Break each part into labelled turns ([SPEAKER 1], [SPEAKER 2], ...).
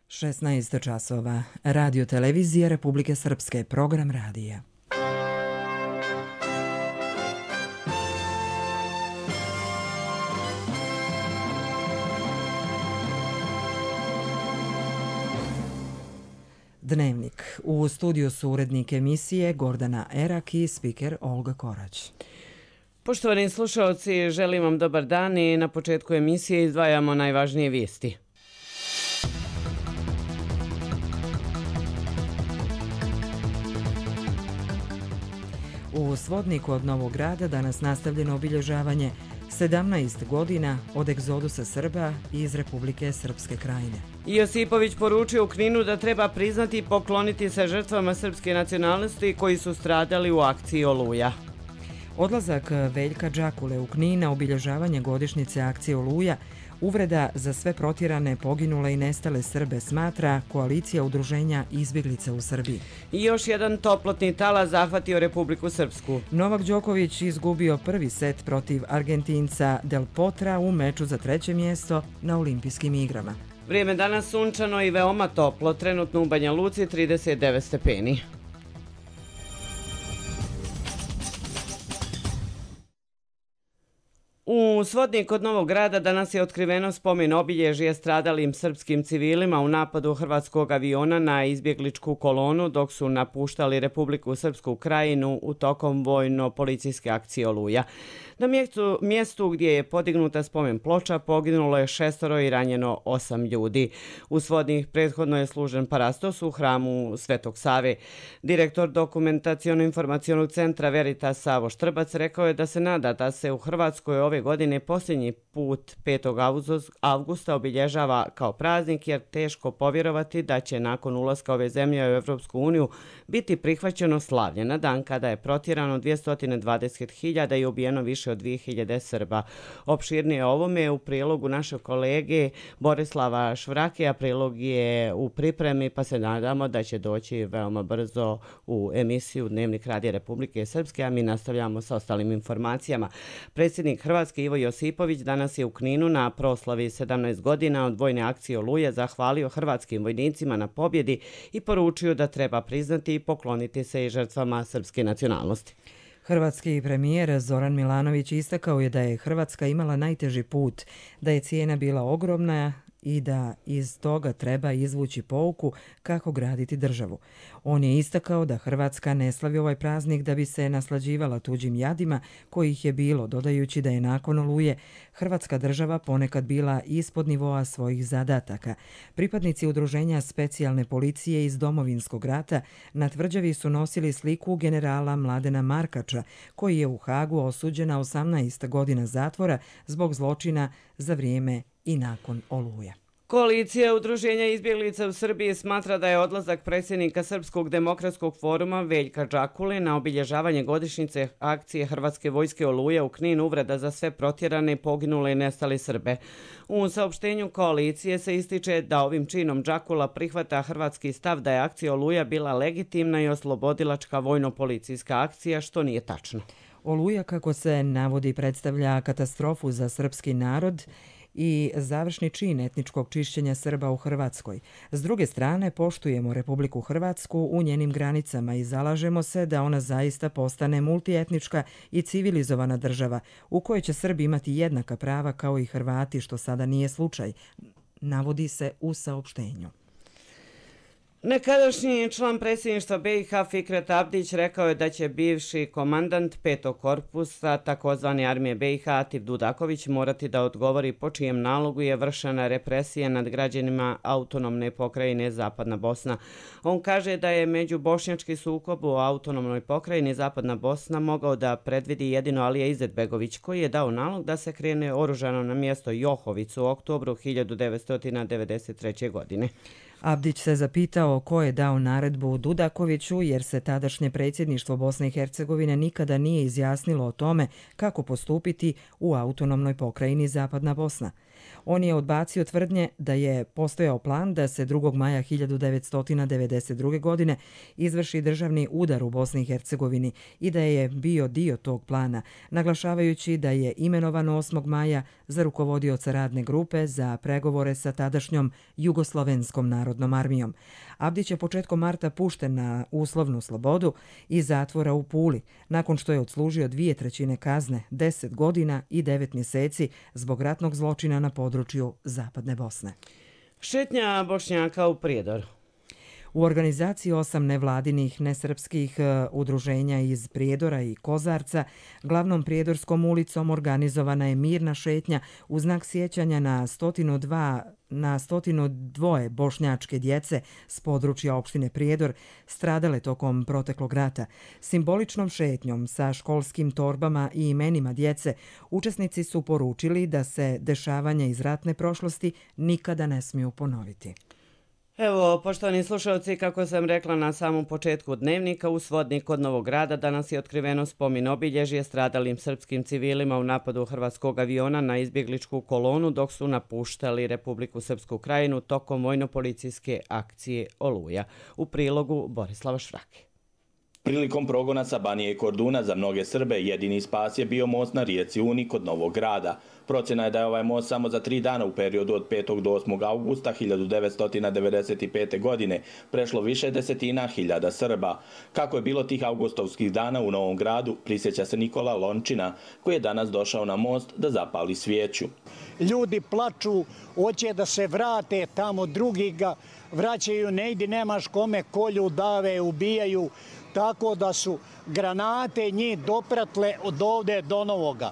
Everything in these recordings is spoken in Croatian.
[SPEAKER 1] 16 časova. Radio televizija Republike Srpske. Program radija. Dnevnik. U studiju su urednik emisije Gordana Erak i spiker Olga Korać.
[SPEAKER 2] Poštovani slušalci, želim vam dobar dan i na početku emisije izdvajamo najvažnije vijesti.
[SPEAKER 1] U Svodniku od Novog Grada danas nastavljeno obilježavanje 17 godina od egzodusa Srba iz Republike Srpske Krajine.
[SPEAKER 2] Josipović poručio u Kninu da treba priznati i pokloniti se žrtvama srpske nacionalnosti koji su stradali u akciji Oluja.
[SPEAKER 1] Odlazak Veljka Džakule u Knin na obilježavanje godišnjice akcije Oluja uvreda za sve protjerane, poginule i nestale Srbe, smatra koalicija udruženja izbjeglica u Srbiji.
[SPEAKER 2] I još jedan toplotni talas zahvatio Republiku Srpsku.
[SPEAKER 1] Novak Đoković izgubio prvi set protiv Argentinca Del Potra u meču za 3. mjesto na Olimpijskim igrama.
[SPEAKER 2] Vrijeme danas sunčano i veoma toplo, trenutno u Banja Luci 39 stepeni. U Svodniku od Novog Grada danas je otkriveno spomen obilježje stradalim srpskim civilima u napadu hrvatskog aviona na izbjegličku kolonu dok su napuštali Republiku Srpsku Krajinu u tokom vojno-policijske akcije Oluja. Na mjestu gdje je podignuta spomen ploča poginulo je 6 i ranjeno 8 ljudi. U Svodnik prethodno je služen parastos u hramu Svetog Save. Direktor Dokumentaciono-informacionog centra Veritas Savo Štrbac rekao je da se nada da se u Hrvatskoj ove godine posljednji put 5. avgusta obilježava kao praznik, jer teško povjerovati da će nakon ulaska ove zemlje u Evropsku uniju biti prihvaćeno slavlje na dan kada je protjerano 220.000 i ubijeno više od 2.000 Srba. Opširnije o ovome u prilogu našeg kolege Borislava Švrake, a prilog je u pripremi, pa se nadamo da će doći veoma brzo u emisiju Dnevnik Radija Republike Srpske, a mi nastavljamo sa ostalim informacijama. Predsjednik Hrvatske Ivo Josipović danas je u Kninu na proslavi 17 godina od vojne akcije Oluja zahvalio hrvatskim vojnicima na pobjedi i poručio da treba priznati i pokloniti se i žrtvama srpske nacionalnosti.
[SPEAKER 1] Hrvatski premijer Zoran Milanović istakao je da je Hrvatska imala najteži put, da je cijena bila ogromna i da iz toga treba izvući pouku kako graditi državu. On je istakao da Hrvatska ne slavi ovaj praznik da bi se naslađivala tuđim jadima kojih je bilo, dodajući da je nakon Oluje Hrvatska država ponekad bila ispod nivoa svojih zadataka. Pripadnici udruženja specijalne policije iz Domovinskog rata na tvrđavi su nosili sliku generala Mladena Markača, koji je u Hagu osuđen na 18 godina zatvora zbog zločina za vrijeme i nakon Oluja.
[SPEAKER 2] Koalicija udruženja izbjeglica u Srbiji smatra da je odlazak predsjednika Srpskog demokratskog foruma Veljka Džakule na obilježavanje godišnjice akcije Hrvatske vojske Oluja u Knin uvreda za sve protjerane, poginule i nestali Srbe. U saopštenju koalicije se ističe da ovim činom Džakula prihvata hrvatski stav da je akcija Oluja bila legitimna i oslobodilačka vojno-policijska akcija, što nije tačno.
[SPEAKER 1] Oluja, kako se navodi, predstavlja katastrofu za srpski narod i završni čin etničkog čišćenja Srba u Hrvatskoj. S druge strane, poštujemo Republiku Hrvatsku u njenim granicama i zalažemo se da ona zaista postane multietnička i civilizovana država u kojoj će Srbi imati jednaka prava kao i Hrvati, što sada nije slučaj, navodi se u saopštenju.
[SPEAKER 2] Nekadašnji član predsjedništva BiH Fikret Abdić rekao je da će bivši komandant 5. korpusa takozvane armije BiH Atif Dudaković morati da odgovori po čijem nalogu je vršena represija nad građanima autonomne pokrajine Zapadna Bosna. On kaže da je međubošnjački sukob u autonomnoj pokrajini Zapadna Bosna mogao da predvidi jedino Alija Izetbegović, koji je dao nalog da se krene oružano na mjesto Johovicu u oktobru 1993. godine.
[SPEAKER 1] Abdić se zapitao ko je dao naredbu Dudakoviću, jer se tadašnje predsjedništvo Bosne i Hercegovine nikada nije izjasnilo o tome kako postupiti u autonomnoj pokrajini Zapadna Bosna. On je odbacio tvrdnje da je postojao plan da se 2. maja 1992. godine izvrši državni udar u Bosni i Hercegovini i da je bio dio tog plana, naglašavajući da je imenovan 8. maja za rukovodioca radne grupe za pregovore sa tadašnjom Jugoslovenskom narodnom narodnom armijom. Abdić je početkom marta pušten na uslovnu slobodu iz zatvora u Puli, nakon što je odslužio 2/3 kazne, 10 godina i 9 mjeseci zbog ratnog zločina na području Zapadne Bosne.
[SPEAKER 2] Šetnja Bošnjaka u Prijedoru.
[SPEAKER 1] U organizaciji 8 nevladinih nesrpskih udruženja iz Prijedora i Kozarca glavnom Prijedorskom ulicom organizovana je mirna šetnja u znak sjećanja na 102 bošnjačke djece s područja opštine Prijedor stradale tokom proteklog rata. Simboličnom šetnjom sa školskim torbama i imenima djece učesnici su poručili da se dešavanja iz ratne prošlosti nikada ne smiju ponoviti.
[SPEAKER 2] Evo, poštovani slušalci, kako sam rekla na samom početku dnevnika, u Svodni kod Novog Grada danas je otkriveno spomen obilježje stradalim srpskim civilima u napadu hrvatskog aviona na izbjegličku kolonu dok su napuštali Republiku Srpsku Krajinu tokom vojno-policijske akcije Oluja. U prilogu Borislava Švrake.
[SPEAKER 3] Prilikom progona sa Banije i Korduna za mnoge Srbe jedini spas je bio most na rijeci Uni kod Novog Grada. Procjena je da je ovaj most samo za 3 dana u periodu od 5. do 8. augusta 1995. godine prešlo više desetina hiljada Srba. Kako je bilo tih augustovskih dana u Novom Gradu, prisjeća se Nikola Lončina, koji je danas došao na most da zapali svijeću.
[SPEAKER 4] Ljudi plaču, hoće da se vrate tamo, drugi ga vraćaju, ne ide, nemaš kome, kolju, dave, ubijaju. Tako da su granate njih dopratle od ovde do Novoga.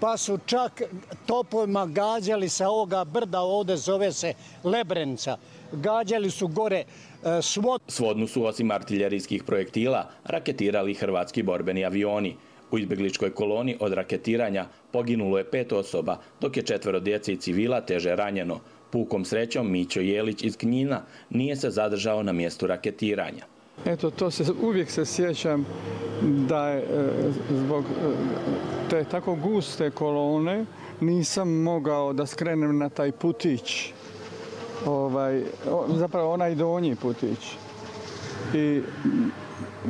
[SPEAKER 4] Pa su čak topovima gađali sa ovoga brda, ovde zove se Lebrenca. Gađali su gore
[SPEAKER 3] Svodnu su osim artiljerijskih projektila raketirali hrvatski borbeni avioni. U izbjegličkoj koloni od raketiranja poginulo je 5 osoba, dok je 4 djece i civila teže ranjeno. Pukom srećom Mićo Jelić iz Knjina nije se zadržao na mjestu raketiranja.
[SPEAKER 5] Eto, uvijek se sjećam da je zbog te tako guste kolone nisam mogao da skrenem na taj putić, zapravo onaj donji putić. I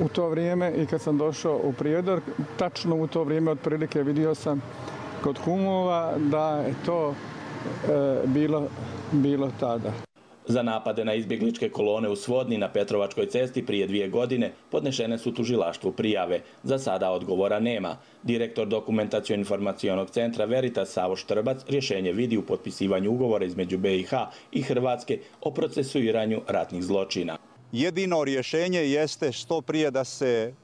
[SPEAKER 5] u to vrijeme, i kad sam došao u Prijedor, tačno u to vrijeme otprilike vidio sam kod kumova da je to bilo tada.
[SPEAKER 3] Za napade na izbjegličke kolone u Svodni na Petrovačkoj cesti prije 2 godine podnešene su tužilaštvu prijave. Za sada odgovora nema. Direktor Dokumentacijo-informacionog centra Veritas Savo Štrbac rješenje vidi u potpisivanju ugovora između BiH i Hrvatske o procesuiranju ratnih zločina.
[SPEAKER 6] Jedino rješenje jeste što prije da se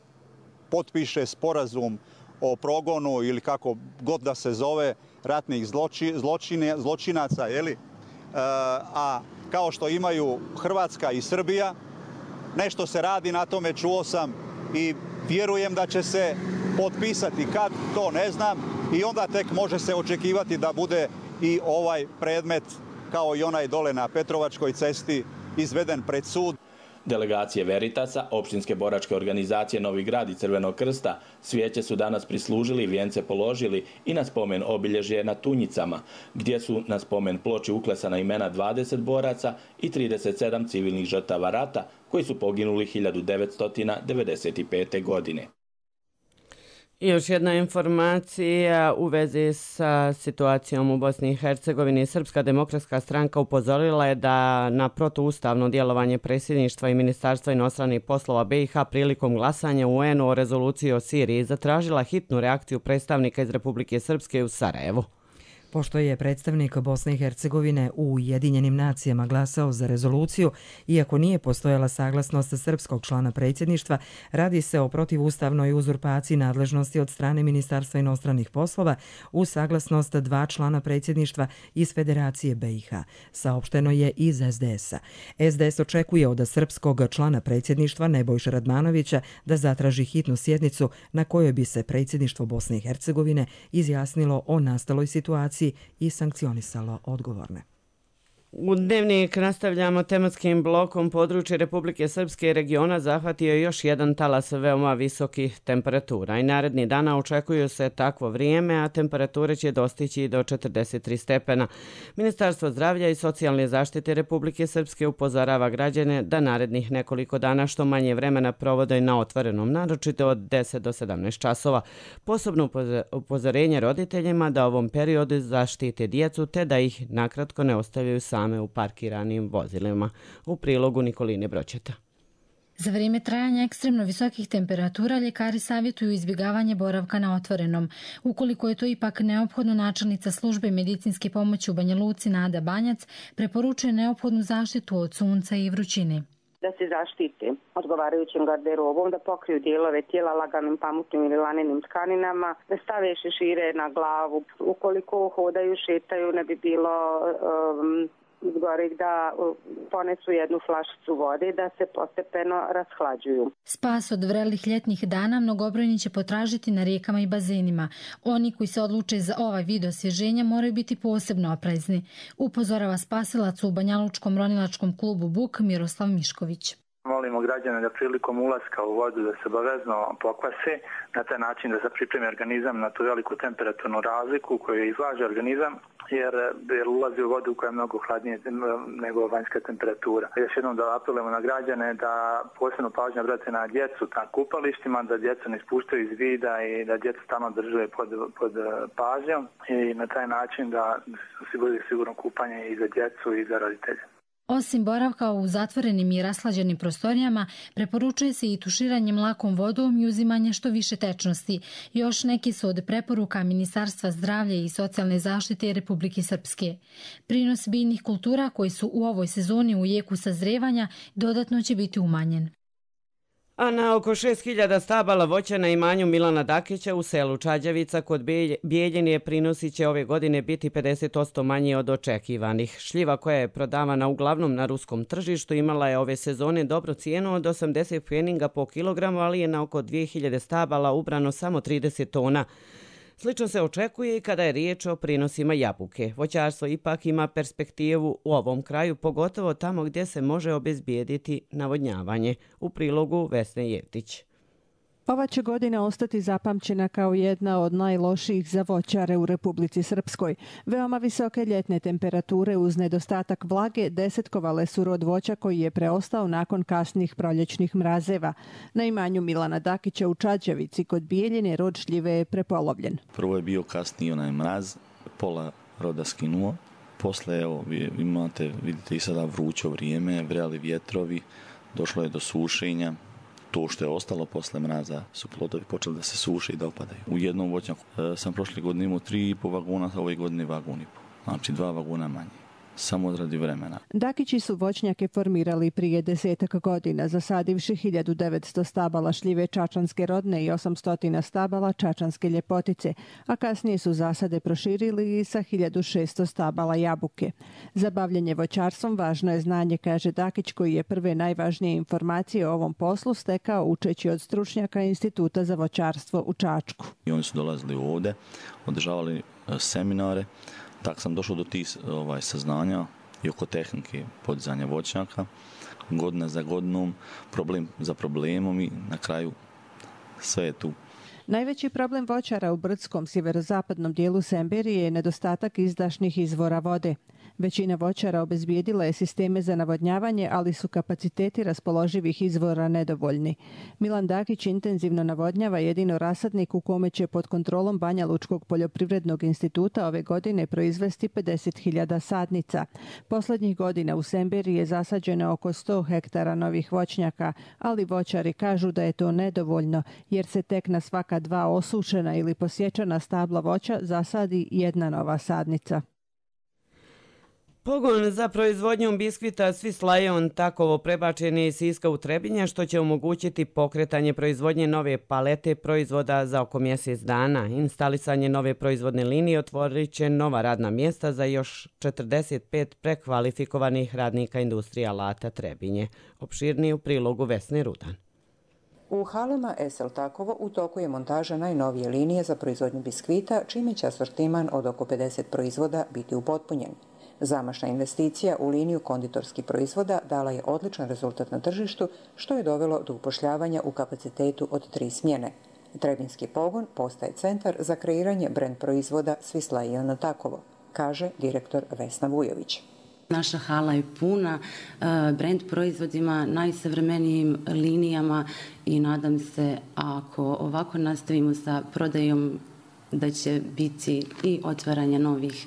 [SPEAKER 6] potpiše sporazum o progonu ili kako god da se zove ratnih zločinaca, a kao što imaju Hrvatska i Srbija, nešto se radi na tome, čuo sam i vjerujem da će se potpisati. Kad, to ne znam, i onda tek može se očekivati da bude i ovaj predmet, kao i onaj dole na Petrovačkoj cesti, izveden pred sud.
[SPEAKER 3] Delegacije Veritasa, opštinske boračke organizacije Novi Grad i Crvenog krsta svijeće su danas prislužili, vijence položili i na spomen obilježje na Tunjicama, gdje su na spomen ploči uklesana imena 20 boraca i 37 civilnih žrtava rata koji su poginuli 1995. godine.
[SPEAKER 2] I još jedna informacija u vezi sa situacijom u Bosni i Hercegovini. Srpska demokratska stranka upozorila je da na protuustavno djelovanje predsjedništva i Ministarstva inostranih poslova BiH prilikom glasanja u UN-u o rezoluciji o Siriji zatražila hitnu reakciju predstavnika iz Republike Srpske u Sarajevu.
[SPEAKER 1] Pošto je predstavnik Bosne i Hercegovine u Ujedinjenim nacijama glasao za rezoluciju, iako nije postojala saglasnost srpskog člana predsjedništva, radi se o protivustavnoj uzurpaciji nadležnosti od strane Ministarstva inostranih poslova uz saglasnost 2 člana predsjedništva iz Federacije BiH. Saopšteno je iz SDS-a. SDS očekuje od srpskog člana predsjedništva Nebojše Radmanovića da zatraži hitnu sjednicu na kojoj bi se predsjedništvo Bosne i Hercegovine izjasnilo o nastaloj situaciji i sankcionisalo odgovorne.
[SPEAKER 2] U dnevnik nastavljamo tematskim blokom. Područje Republike Srpske i regiona zahvatio je još jedan talas veoma visokih temperatura i naredni dana očekuju se takvo vrijeme, a temperature će dostići do 43 stepena. Ministarstvo zdravlja i socijalne zaštite Republike Srpske upozorava građane da narednih nekoliko dana što manje vremena provode na otvorenom, naročito od 10 do 17 časova. Posebno upozorenje roditeljima da ovom periodu zaštite djecu te da ih nakratko ne ostavljaju sami reklame u parkiranim vozilima. U prilogu Nikoline Broćeta.
[SPEAKER 7] Za vrijeme trajanja ekstremno visokih temperatura ljekari savjetuju izbjegavanje boravka na otvorenom. Ukoliko je to ipak neophodno, načelnica službe medicinske pomoći u Banja Luci Nada Banjac preporučuje neophodnu zaštitu od sunca i vrućine.
[SPEAKER 8] Da se zaštite odgovarajućim garderobom, da pokriju dijelove tijela laganim pamutnim ili lanenim tkaninama, da stave šešire na glavu. Ukoliko hodaju, šetaju, ne bi bilo zgorih da ponesu jednu flašicu vode da se postepeno rashlađuju.
[SPEAKER 7] Spas od vrelih ljetnih dana mnogobrojni će potražiti na rijekama i bazenima. Oni koji se odluče za ovaj vid osvježenja moraju biti posebno oprezni, upozorava spasilac u Banjalučkom ronilačkom klubu Buk Miroslav Mišković.
[SPEAKER 9] Molimo građane da prilikom ulaska u vodu da se obavezno pokvase, na taj način da se pripremi organizam na tu veliku temperaturnu razliku koju izlaže organizam, jer ulazi u vodu koja je mnogo hladnije nego vanjska temperatura. Još jednom da apelujemo na građane da posebno pažnju obrate na djecu na kupalištima, da djecu ne ispuštaju iz vida i da djecu stalno drže pod pažnjom i na taj način da osiguraju sigurno kupanje i za djecu i za roditelje.
[SPEAKER 7] Osim boravka u zatvorenim i rashlađenim prostorijama, preporučuje se i tuširanje lakom vodom i uzimanje što više tečnosti. Još neki su od preporuka Ministarstva zdravlja i socijalne zaštite Republike Srpske. Prinos biljnih kultura koji su u ovoj sezoni u jeku sazrevanja dodatno će biti umanjen.
[SPEAKER 2] A na oko 6.000 stabala voća na imanju Milana Dakića u selu Čađavica kod Bijeljine prinosi će ove godine biti 50% manje od očekivanih. Šljiva koja je prodavana uglavnom na ruskom tržištu imala je ove sezone dobro cijenu od 80 pfeninga po kilogramu, ali je na oko 2.000 stabala ubrano samo 30 tona. Slično se očekuje i kada je riječ o prinosima jabuke. Voćarstvo ipak ima perspektivu u ovom kraju, pogotovo tamo gdje se može obezbijediti navodnjavanje. U prilogu Vesne Jevtić.
[SPEAKER 10] Ova će godina ostati zapamćena kao jedna od najlošijih za voćare u Republici Srpskoj. Veoma visoke ljetne temperature uz nedostatak vlage desetkovale su rod voća koji je preostao nakon kasnih proljećnih mrazeva. Na imanju Milana Dakića u Čađavici kod Bijeljine rod šljive je prepolovljen.
[SPEAKER 11] Prvo je bio kasniji onaj mraz, pola roda skinuo. Posle, evo, vidite i sada vruće vrijeme, vreli vjetrovi, došlo je do sušenja. To što je ostalo posle mraza su plodovi počeli da se suše i da opadaju. U jednom voćnjaku sam prošle godine imao 3,5 vagona, a ove godine vagon i pol. Znači 2 vagona manje. Samo radi vremena.
[SPEAKER 10] Dakići su voćnjake formirali prije 10 godina, zasadivši 1900 stabala šljive čačanske rodne i 800 stabala čačanske ljepotice, a kasnije su zasade proširili i sa 1600 stabala jabuke. Za bavljenje voćarstvom važno je znanje, kaže Dakić, koji je prve najvažnije informacije o ovom poslu stekao učeći od stručnjaka Instituta za voćarstvo u Čačku.
[SPEAKER 11] I oni su dolazili ovdje, održavali seminare. Tako sam došao do tih saznanja i oko tehnike podizanja voćnjaka, godina za godinom, problem za problemom i na kraju sve je tu.
[SPEAKER 10] Najveći problem voćara u brdskom sjeverozapadnom dijelu Semberije je nedostatak izdašnih izvora vode. Većina voćara obezbijedila je sisteme za navodnjavanje, ali su kapaciteti raspoloživih izvora nedovoljni. Milan Dakić intenzivno navodnjava jedino rasadnik u kome će pod kontrolom Banjalučkog poljoprivrednog instituta ove godine proizvesti 50.000 sadnica. Posljednjih godina u Semberiji je zasađeno oko 100 hektara novih voćnjaka, ali voćari kažu da je to nedovoljno, jer se tek na svaka 2 osušena ili posječena stabla voća zasadi jedna nova sadnica.
[SPEAKER 2] Pogon za proizvodnju biskvita Swiss Lion takovo prebačen je iz Siska u Trebinje, što će omogućiti pokretanje proizvodnje nove palete proizvoda za oko mjesec dana. Instalisanje nove proizvodne linije otvorit će nova radna mjesta za još 45 prekvalifikovanih radnika industrije alata Trebinje. Opširnije u prilogu Vesne Rudan.
[SPEAKER 12] U halama SL Takovo u toku je montaža najnovije linije za proizvodnju biskvita, čime će asortiman od oko 50 proizvoda biti upotpunjen. Zamašna investicija u liniju konditorskih proizvoda dala je odličan rezultat na tržištu, što je dovelo do upošljavanja u kapacitetu od 3 smjene. Trebinski pogon postaje centar za kreiranje brend proizvoda Swiss Lion Takovo, kaže direktor Vesna Vujović.
[SPEAKER 13] Naša hala je puna brend proizvodima, najsavremenijim linijama i nadam se, ako ovako nastavimo sa prodajom, da će biti i otvaranje novih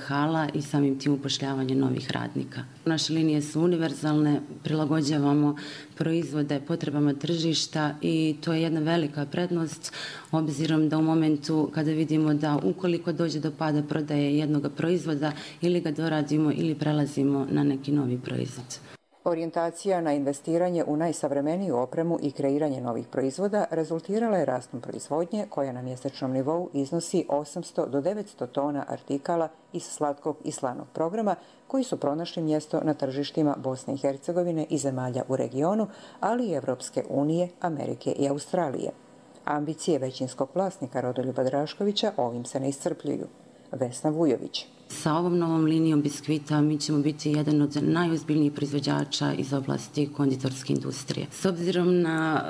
[SPEAKER 13] hala i samim tim upošljavanje novih radnika. Naše linije su univerzalne, prilagođavamo proizvode potrebama tržišta i to je jedna velika prednost obzirom da u momentu kada vidimo da ukoliko dođe do pada prodaje jednog proizvoda ili ga doradimo ili prelazimo na neki novi proizvod.
[SPEAKER 12] Orijentacija na investiranje u najsavremeniju opremu i kreiranje novih proizvoda rezultirala je rastom proizvodnje koja na mjesečnom nivou iznosi 800 do 900 tona artikala iz slatkog i slanog programa koji su pronašli mjesto na tržištima Bosne i Hercegovine i zemalja u regionu, ali i Evropske unije, Amerike i Australije. Ambicije većinskog vlasnika Rodoljuba Draškovića ovim se ne iscrpljuju. Vesna Vujović.
[SPEAKER 13] Sa ovom novom linijom biskvita mi ćemo biti jedan od najozbiljnijih proizvođača iz oblasti konditorske industrije. S obzirom na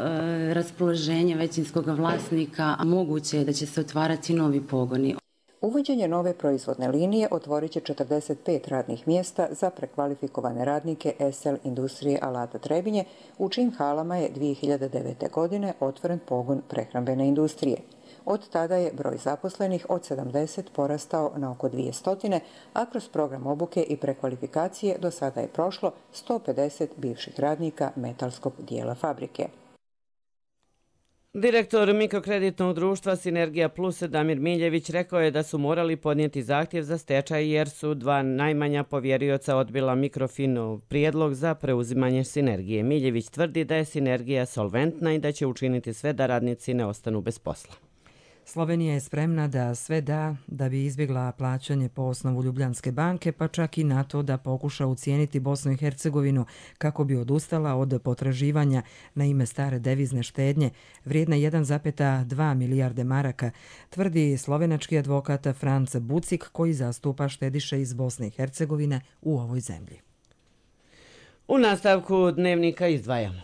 [SPEAKER 13] raspoloženje većinskog vlasnika, moguće je da će se otvarati novi pogoni.
[SPEAKER 12] Uvođenje nove proizvodne linije otvorit će 45 radnih mjesta za prekvalifikovane radnike SL Industrije alata Trebinje, u čijim halama je 2009. godine otvoren pogon prehrambene industrije. Od tada je broj zaposlenih od 70 porastao na oko 200, a kroz program obuke i prekvalifikacije do sada je prošlo 150 bivših radnika metalskog dijela fabrike.
[SPEAKER 2] Direktor mikrokreditnog društva Sinergija Plus Damir Miljević rekao je da su morali podnijeti zahtjev za stečaj jer su dva najmanja povjerioca odbila Mikrofinov prijedlog za preuzimanje Sinergije. Miljević tvrdi da je Sinergija solventna i da će učiniti sve da radnici ne ostanu bez posla.
[SPEAKER 1] Slovenija je spremna da sve da bi izbjegla plaćanje po osnovu Ljubljanske banke, pa čak i na to da pokuša ucijeniti Bosnu i Hercegovinu kako bi odustala od potraživanja na ime stare devizne štednje vrijedne 1,2 milijarde maraka, tvrdi slovenački advokat Franc Bucik koji zastupa štediše iz Bosne i Hercegovine u ovoj zemlji.
[SPEAKER 2] U nastavku dnevnika izdvajamo.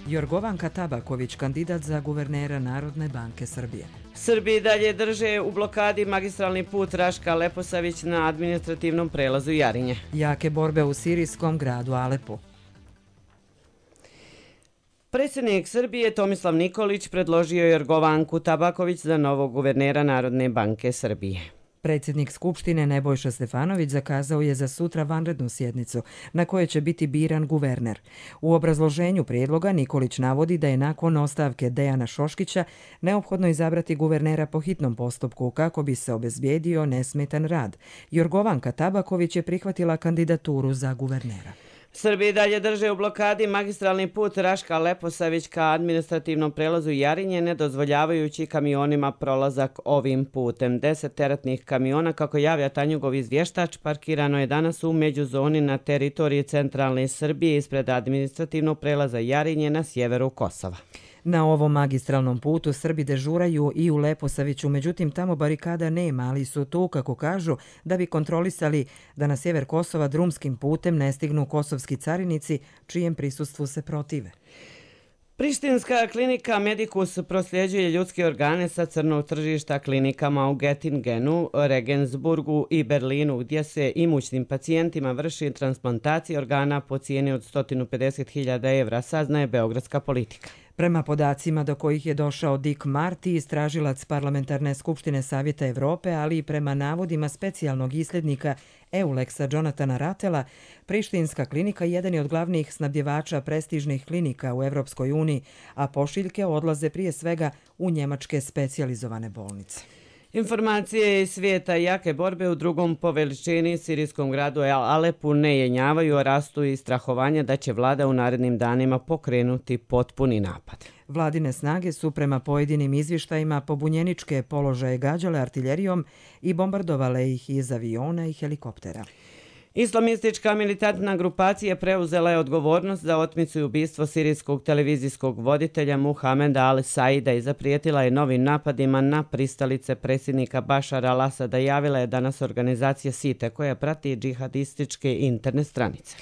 [SPEAKER 1] Jorgovanka Tabaković, kandidat za guvernera Narodne banke Srbije.
[SPEAKER 2] Srbiji dalje drže u blokadi magistralni put Raška-Leposavić na administrativnom prelazu Jarinje.
[SPEAKER 1] Jake borbe u sirijskom gradu Alepu.
[SPEAKER 2] Predsjednik Srbije Tomislav Nikolić predložio Jorgovanku Tabaković za novog guvernera Narodne banke Srbije.
[SPEAKER 1] Predsjednik Skupštine Nebojša Stefanović zakazao je za sutra vanrednu sjednicu na kojoj će biti biran guverner. U obrazloženju prijedloga Nikolić navodi da je nakon ostavke Dejana Šoškića neophodno izabrati guvernera po hitnom postupku kako bi se obezbijedio nesmetan rad. Jorgovanka Tabaković je prihvatila kandidaturu za guvernera.
[SPEAKER 2] Srbiji dalje drže u blokadi magistralni put Raška-Leposavić ka administrativnom prelazu Jarinje, ne dozvoljavajući kamionima prolazak ovim putem. 10 teretnih kamiona, kako javlja Tanjugov izvještač, parkirano je danas u međuzoni na teritoriji centralne Srbije ispred administrativnog prelaza Jarinje na sjeveru Kosova.
[SPEAKER 1] Na ovom magistralnom putu Srbi dežuraju i u Leposaviću, međutim tamo barikada nema, ali su tu, kako kažu, da bi kontrolisali da na sjever Kosova drumskim putem ne stignu kosovski carinici, čijem prisustvu se protive.
[SPEAKER 2] Prištinska klinika Medicus prosljeđuje ljudske organe sa crnog tržišta klinikama u Göttingenu, Regensburgu i Berlinu, gdje se imućnim pacijentima vrši transplantacija organa po cijeni od 150.000 evra, saznaje Beogradska politika.
[SPEAKER 1] Prema podacima do kojih je došao Dick Marty, istražilac Parlamentarne skupštine Savjeta Evrope, ali i prema navodima specijalnog islednika Euleksa Jonathana Ratela, Prištinska klinika jedan je od glavnih snabdjevača prestižnih klinika u Evropskoj uniji, a pošiljke odlaze prije svega u njemačke specijalizovane bolnice.
[SPEAKER 2] Informacije iz svijeta jake borbe u drugom po veličini sirijskom gradu Alepu ne jenjavaju, a rastu i strahovanja da će vlada u narednim danima pokrenuti potpuni napad.
[SPEAKER 1] Vladine snage su prema pojedinim izvještajima pobunjeničke položaje gađale artiljerijom i bombardovale ih iz aviona i helikoptera.
[SPEAKER 2] Islamistička militantna grupacija preuzela je odgovornost za otmicu i ubistvo sirijskog televizijskog voditelja Muhameda al-Saida i zaprijetila je novim napadima na pristalice predsjednika Bašara al-Asada, javila je danas organizacija SITE koja prati džihadističke internet stranice.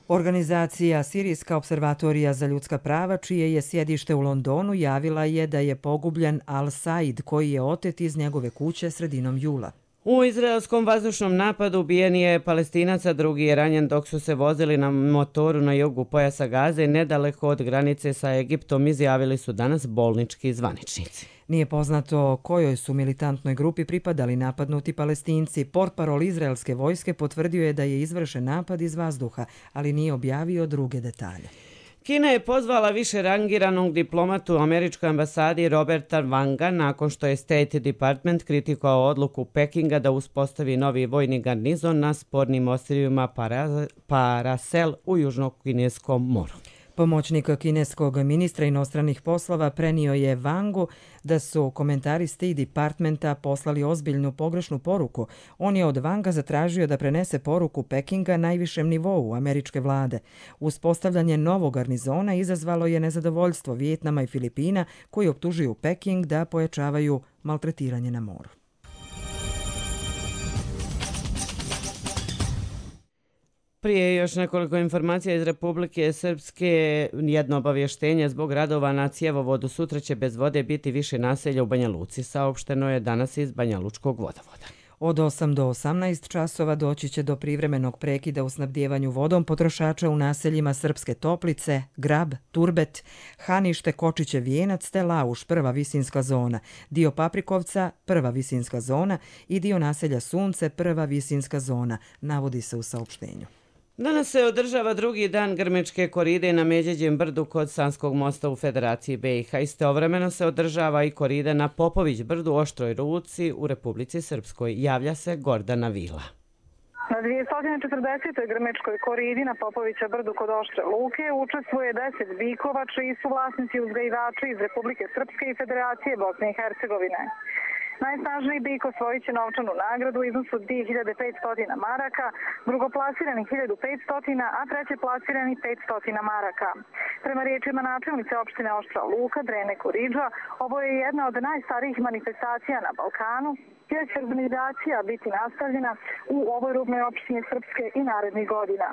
[SPEAKER 1] Organizacija Sirijska observatorija za ljudska prava, čije je sjedište u Londonu, javila je da je pogubljen al-Said koji je otet iz njegove kuće sredinom jula.
[SPEAKER 2] U izraelskom vazdušnom napadu ubijen je Palestinac, a drugi je ranjen dok su se vozili na motoru na jugu pojasa Gaze nedaleko od granice sa Egiptom, izjavili su danas bolnički zvaničnici.
[SPEAKER 1] Nije poznato kojoj su militantnoj grupi pripadali napadnuti Palestinci. Portparol izraelske vojske potvrdio je da je izvršen napad iz vazduha, ali nije objavio druge detalje.
[SPEAKER 2] Kina je pozvala više rangiranog diplomatu u američkoj ambasadi Roberta Wanga nakon što je State Department kritikovao odluku Pekinga da uspostavi novi vojni garnizon na spornim ostrvima Paracel u Južnokineskom moru.
[SPEAKER 1] Pomoćnik kineskog ministra inostranih poslova prenio je Wangu da su komentari State Departmenta poslali ozbiljnu pogrešnu poruku. On je od Wanga zatražio da prenese poruku Pekinga najvišem nivou američke vlade. Uspostavljanje novog garnizona izazvalo je nezadovoljstvo Vijetnama i Filipina koji optužuju Peking da pojačavaju maltretiranje na moru.
[SPEAKER 2] Prije još nekoliko informacija iz Republike Srpske. Jedno obavještenje zbog radova na cjevovodu. Sutra će bez vode biti više naselja u Banja Luci. Saopšteno je danas iz Banja Lučkog vodovoda.
[SPEAKER 1] Od 8 do 18 časova doći će do privremenog prekida u snabdijevanju vodom potrošača u naseljima Srpske Toplice, Grab, Turbet, Hanište, Kočiće, Vijenac te Lauš, prva visinska zona, dio Paprikovca, prva visinska zona i dio naselja Sunce, prva visinska zona, navodi se u saopštenju.
[SPEAKER 2] Danas se održava drugi dan grmečke koride na Međeđem brdu kod Sanskog mosta u Federaciji BiH. Istovremeno se održava i korida na Popović brdu Oštroj Ruci u Republici Srpskoj. Javlja se Gordana Vila.
[SPEAKER 14] Na 240. grmečkoj koridi na Popovića brdu kod Oštre Luke učestvuje 10 bikova čiji su vlasnici uzgajivači iz Republike Srpske i Federacije Bosne i Hercegovine. Najsnažniji bik osvojit će novčanu nagradu u iznosu 2500 maraka, drugoplasirani 1500, a treće plasirani 500 maraka. Prema riječima načelnice opštine Oštra Luka, Drene Koridža, ovo je jedna od najstarijih manifestacija na Balkanu, gdje će organizacija biti nastavljena u ovoj rubnoj opštini Srpske i narednih godina.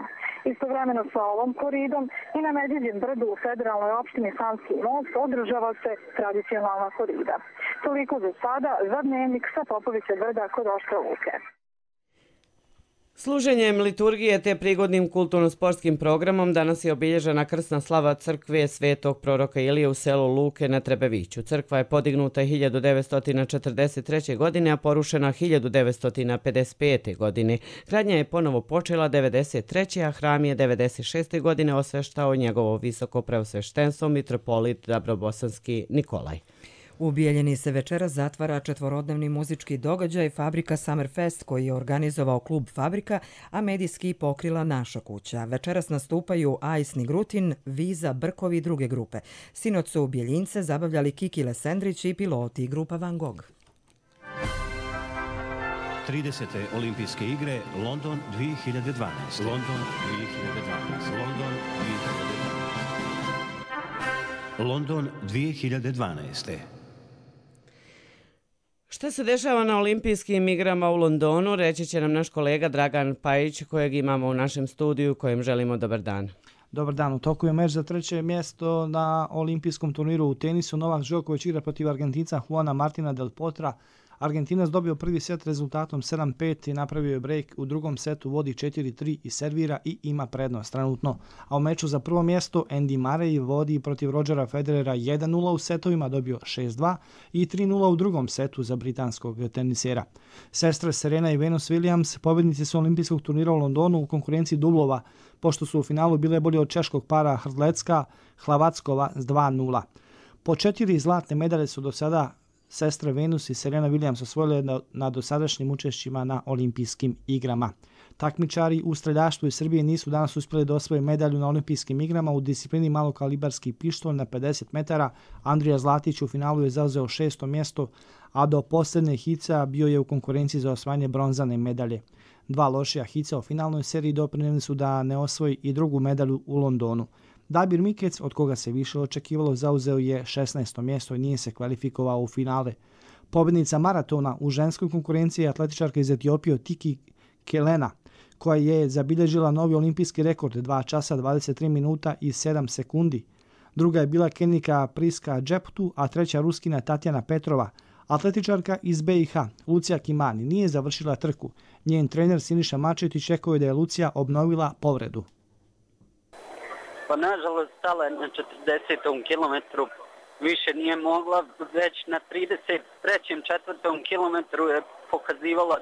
[SPEAKER 14] Istovremeno sa ovom koridom i na Medvjeđem brdu u federalnoj opštini Sanski most održava se tradicionalna korida. Toliko za sada, za dnevnik sa Popovića brda kod Oštra Luke.
[SPEAKER 2] Služenjem liturgije te prigodnim kulturno-sportskim programom danas je obilježena krsna slava crkve Svetog proroka Ilije u selu Luke na Trebeviću. Crkva je podignuta 1943. godine, a porušena 1955. godine. Gradnja je ponovo počela 1993. a hram je 1996. godine osveštao njegovo visoko preosveštenstvo mitropolit Dabrobosanski Nikolaj.
[SPEAKER 1] U Bijeljini se večeras zatvara četvorodnevni muzički događaj Fabrika Summerfest koji je organizovao klub Fabrika, a medijski pokrila Naša kuća. Večeras nastupaju Ajsni Grutin, Viza, Brkovi i druge grupe. Sinoć su u Bijeljince zabavljali Kiki Lesendrić i piloti grupa Van Gogh.
[SPEAKER 15] 30. olimpijske igre London 2012. London 2012. London 2012.
[SPEAKER 2] Šta se dešava na olimpijskim igrama u Londonu, reći će nam naš kolega Dragan Pajić, kojeg imamo u našem studiju, kojem želimo dobar dan.
[SPEAKER 16] Dobar dan, u toku je meč za treće mjesto na olimpijskom turniru u tenisu. Novak Đoković igra protiv Argentinca Juana Martina del Potra. Argentinac dobio prvi set rezultatom 7-5 i napravio je break. U drugom setu vodi 4-3 i servira i ima prednost trenutno. A u meču za prvo mjesto Andy Murray vodi protiv Rodgera Federera 1-0 u setovima, dobio 6-2 i 3-0 u drugom setu za britanskog tenisera. Sestre Serena i Venus Williams pobjednici su olimpijskog turnira u Londonu u konkurenciji dublova, pošto su u finalu bile bolje od češkog para Hrdlecka-Hlavackova s 2-0. Po 4 zlatne medalje su do sada sestre Venus i Serena Williams osvojile na dosadašnjim učešćima na olimpijskim igrama. Takmičari u streljaštvu iz Srbije nisu danas uspjeli da osvoje medalju na olimpijskim igrama u disciplini malokalibarski pištolj na 50 metara. Andrija Zlatić u finalu je zauzeo 6. mjesto, a do posljednje hica bio je u konkurenciji za osvajanje bronzane medalje. Dva lošija hica u finalnoj seriji doprinijeli su da ne osvoji i drugu medalju u Londonu. Dabir Mikec, od koga se više očekivalo, zauzeo je 16. mjesto i nije se kvalifikovao u finale. Pobjednica maratona u ženskoj konkurenciji je atletičarka iz Etiopije Tiki Kelena, koja je zabilježila novi olimpijski rekord 2 časa 23 minuta i 7 sekundi. Druga je bila Kenijka Priska Džeptu, a treća Ruskina Tatjana Petrova, Atletičarka iz BiH, Lucija Kimani, nije završila trku. Njen trener Siniša Mačetić rekao je da je Lucija obnovila povredu.
[SPEAKER 17] Pa nažalost stala je na 40. kilometru, više nije mogla, već na 33. 4. kilometru je pokazivala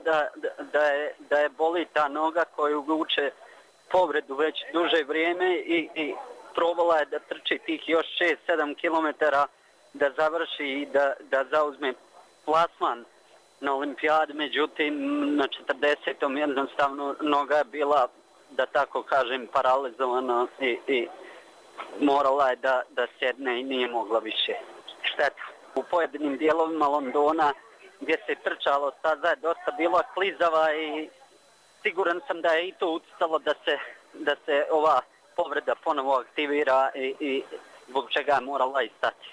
[SPEAKER 17] da je boli ta noga koju vuče povredu već duže vrijeme i probala je da trči tih još 6-7 kilometara da završi i da zauzme plasman na olimpijadi, međutim na 40. jednostavno noga je bila, da tako kažem, paralizovana i morala je da sjedne i nije mogla više. Šteta. U pojedinim dijelovima Londona gdje se trčalo staza je dosta bila klizava i siguran sam da je i to utjecalo da se ova povreda ponovo aktivira i zbog čega je morala i stati.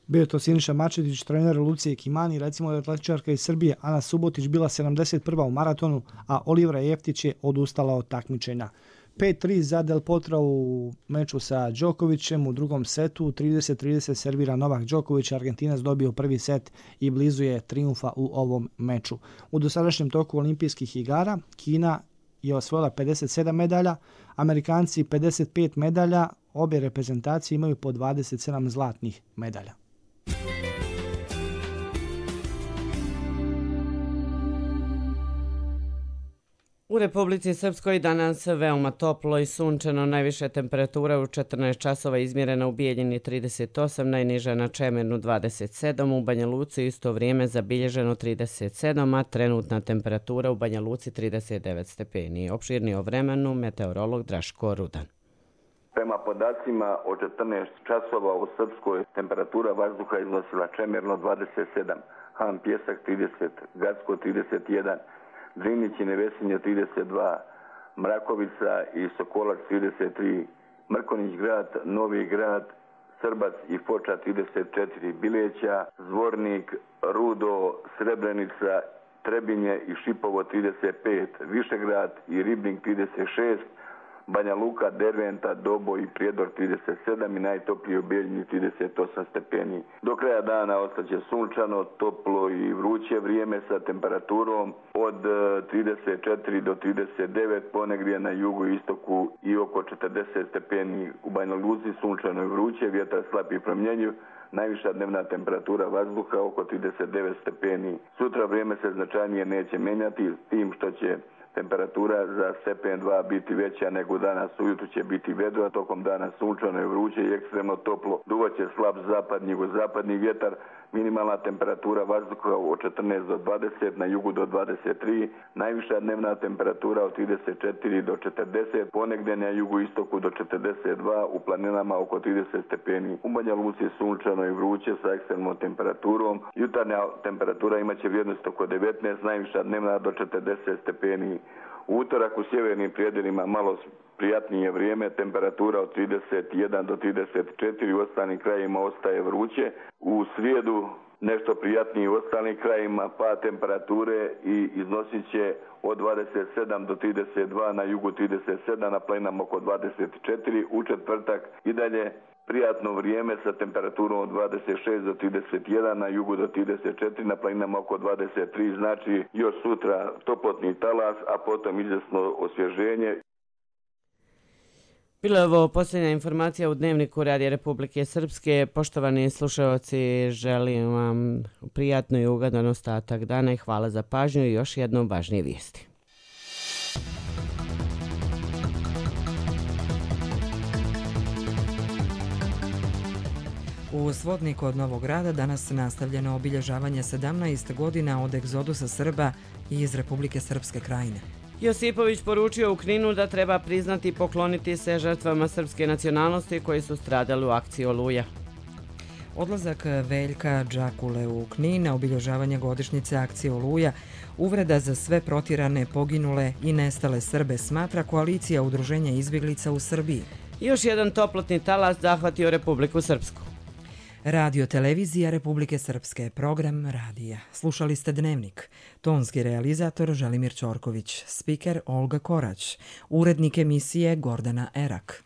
[SPEAKER 16] Bio je to Siniša Mačetić, trener Lucije Kimani. Recimo da je atletičarka iz Srbije Ana Subotić bila 71. u maratonu, a Olivera Jeftić je odustala od takmičenja. 5-3 za Del Potra u meču sa Đokovićem u drugom setu. 30-30 servira Novak Đoković. Argentinac dobio prvi set i blizu je trijumfa u ovom meču. U dosadašnjem toku olimpijskih igara Kina je osvojila 57 medalja, Amerikanci 55 medalja, obje reprezentacije imaju po 27 zlatnih medalja.
[SPEAKER 2] U Republici Srpskoj danas veoma toplo i sunčano, najviša temperatura u 14 časova izmjerena u Bijeljini 38, najniža na Čemernu 27, u Banja Luci isto vrijeme zabilježeno 37, a trenutna temperatura u Banja Luci 39 stepeni. Opširnije o vremenu meteorolog Draško Rudan.
[SPEAKER 18] Prema podacima od 14 časova u Srpskoj temperatura vazduha iznosila Čemerno 27, Han Pjesak 30, Gacko 31, Drinić i Nevesinje 32, Mrakovica i Sokolac 33, Mrkonić grad, Novi grad, Srbac i Foča 34, Bileća, Zvornik, Rudo, Srebrenica, Trebinje i Šipovo 35, Višegrad i Ribnik 36, Banja Luka, Derventa, Dobo i Prijedor 37 i najtoplije u Bijeljini 38 stepeni. Do kraja dana ostaće sunčano, toplo i vruće vrijeme sa temperaturom od 34 do 39, ponegdje na jugu i istoku i oko 40 stepeni. U Banja Luci sunčano i vruće, vjetar slab i promjenjiv, najviša dnevna temperatura vazduha oko 39 stepeni. Sutra vrijeme se značajnije neće menjati, s tim što će temperatura za stepen 2 biti veća nego danas. Ujutro će biti vedro, a tokom dana sunčano i vruće i ekstremno toplo. Duvaće slab zapadni, jugozapadni vjetar, minimalna temperatura vazduha od 14 do 20, na jugu do 23, najviša dnevna temperatura od 34 do 40, ponegdje na jugu istoku do 42, u planinama oko 30 stepeni. U Banja Luci sunčano i vruće sa ekstremnom temperaturom. Jutarnja temperatura imaće vrijednost oko 19, najviša dnevna do 40 stepeni. U utorak u sjevernim predjelima malo prijatnije vrijeme, temperatura od 31 do 34, u ostalim krajima ostaje vruće. U srijedu nešto prijatnije u ostalim krajima, pa temperature i iznosit će od 27 do 32, na jugu 37, na planinama oko 24. U četvrtak i dalje prijatno vrijeme sa temperaturom od 26 do 31, na jugu do 34, na planinama oko 23, znači još sutra toplotni talas, a potom izvjesno osvježenje.
[SPEAKER 2] Bila je ovo posljednja informacija u Dnevniku Radija Republike Srpske. Poštovani slušalci, želim vam prijatno i ugodan ostatak dana i hvala za pažnju i još jednom važnije vijesti.
[SPEAKER 1] U Svodniku od Novog Grada danas nastavljeno obilježavanje 17 godina od egzodusa Srba iz Republike Srpske Krajine.
[SPEAKER 2] Josipović poručio u Kninu da treba priznati i pokloniti se žrtvama srpske nacionalnosti koji su stradali u akciji Oluja.
[SPEAKER 1] Odlazak Veljka Džakule u Knin na obilježavanje godišnjice akcije Oluja, uvreda za sve protjerane, poginule i nestale Srbe, smatra koalicija udruženja izbjeglica u Srbiji.
[SPEAKER 2] Još jedan toplotni talas zahvatio Republiku Srpsku.
[SPEAKER 1] Radio Televizija Republike Srpske, program radija. Slušali ste Dnevnik. Tonski realizator Želimir Ćorković, spiker Olga Korać, urednik emisije Gordana Erak.